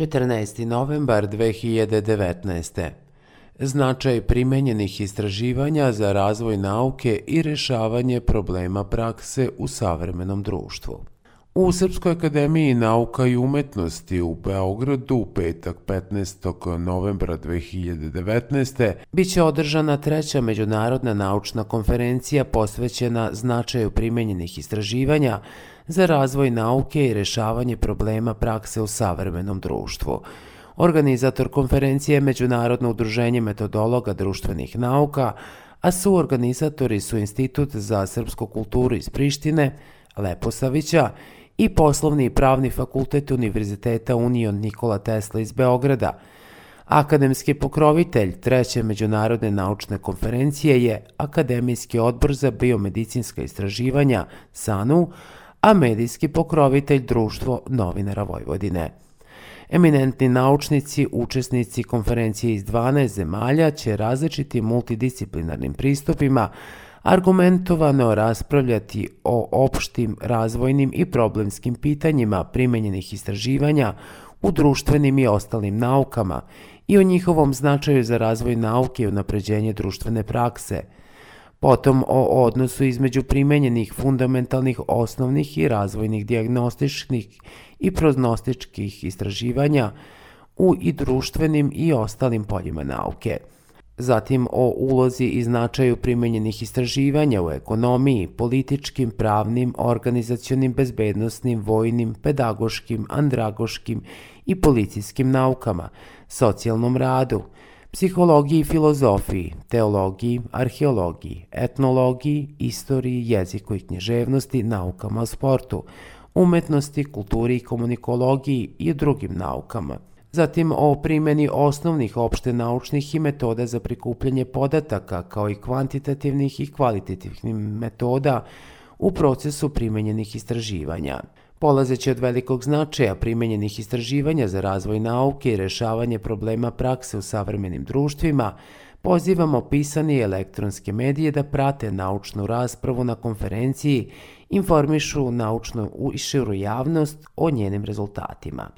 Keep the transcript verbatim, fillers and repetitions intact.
četrnaesti novembar dve hiljade devetnaeste. Značaj primenjenih istraživanja za razvoj nauke i rešavanje problema prakse u savremenom društvu. U Srpskoj akademiji nauka i umetnosti u Beogradu u petak petnaestog novembra dve hiljade devetnaeste. biće održana treća međunarodna naučna konferencija posvećena značaju primenjenih istraživanja za razvoj nauke i rešavanje problema prakse u savremenom društvu. Organizator konferencije je Međunarodno udruženje metodologa društvenih nauka, a suorganizatori su Institut za srpsku kulturu iz Prištine, Leposavića, i Poslovni i pravni fakultet Univerziteta Union Nikola Tesla iz Beograda. Akademski pokrovitelj treće međunarodne naučne konferencije je Akademijski odbor za biomedicinska istraživanja SANU, a medijski pokrovitelj Društvo novinara Vojvodine. Eminentni naučnici, učesnici konferencije iz dvanaest zemalja će različitim multidisciplinarnim pristupima argumentovano raspravljati o opštim, razvojnim i problemskim pitanjima primenjenih istraživanja u društvenim i ostalim naukama i o njihovom značaju za razvoj nauke i unapređenje društvene prakse. Potom o odnosu između primenjenih fundamentalnih, osnovnih i razvojnih dijagnostičkih i prognostičkih istraživanja u i društvenim i ostalim poljima nauke. Zatim o ulozi i značaju primenjenih istraživanja u ekonomiji, političkim, pravnim, organizacionim, bezbednosnim, vojnim, pedagoškim, andragoškim i policijskim naukama, socijalnom radu, psihologiji i filozofiji, teologiji, arheologiji, etnologiji, istoriji, jeziku i književnosti, naukama o sportu, umetnosti, kulturi i komunikologiji i drugim naukama. Zatim o primjeni osnovnih opšte naučnih i metoda za prikupljanje podataka, kao i kvantitativnih i kvalitativnih metoda u procesu primenjenih istraživanja. Polazeći od velikog značaja primenjenih istraživanja za razvoj nauke i rešavanje problema prakse u savremenim društvima, pozivamo pisane i elektronske medije da prate naučnu raspravu na konferenciji, informišu naučnu i širu javnost o njenim rezultatima.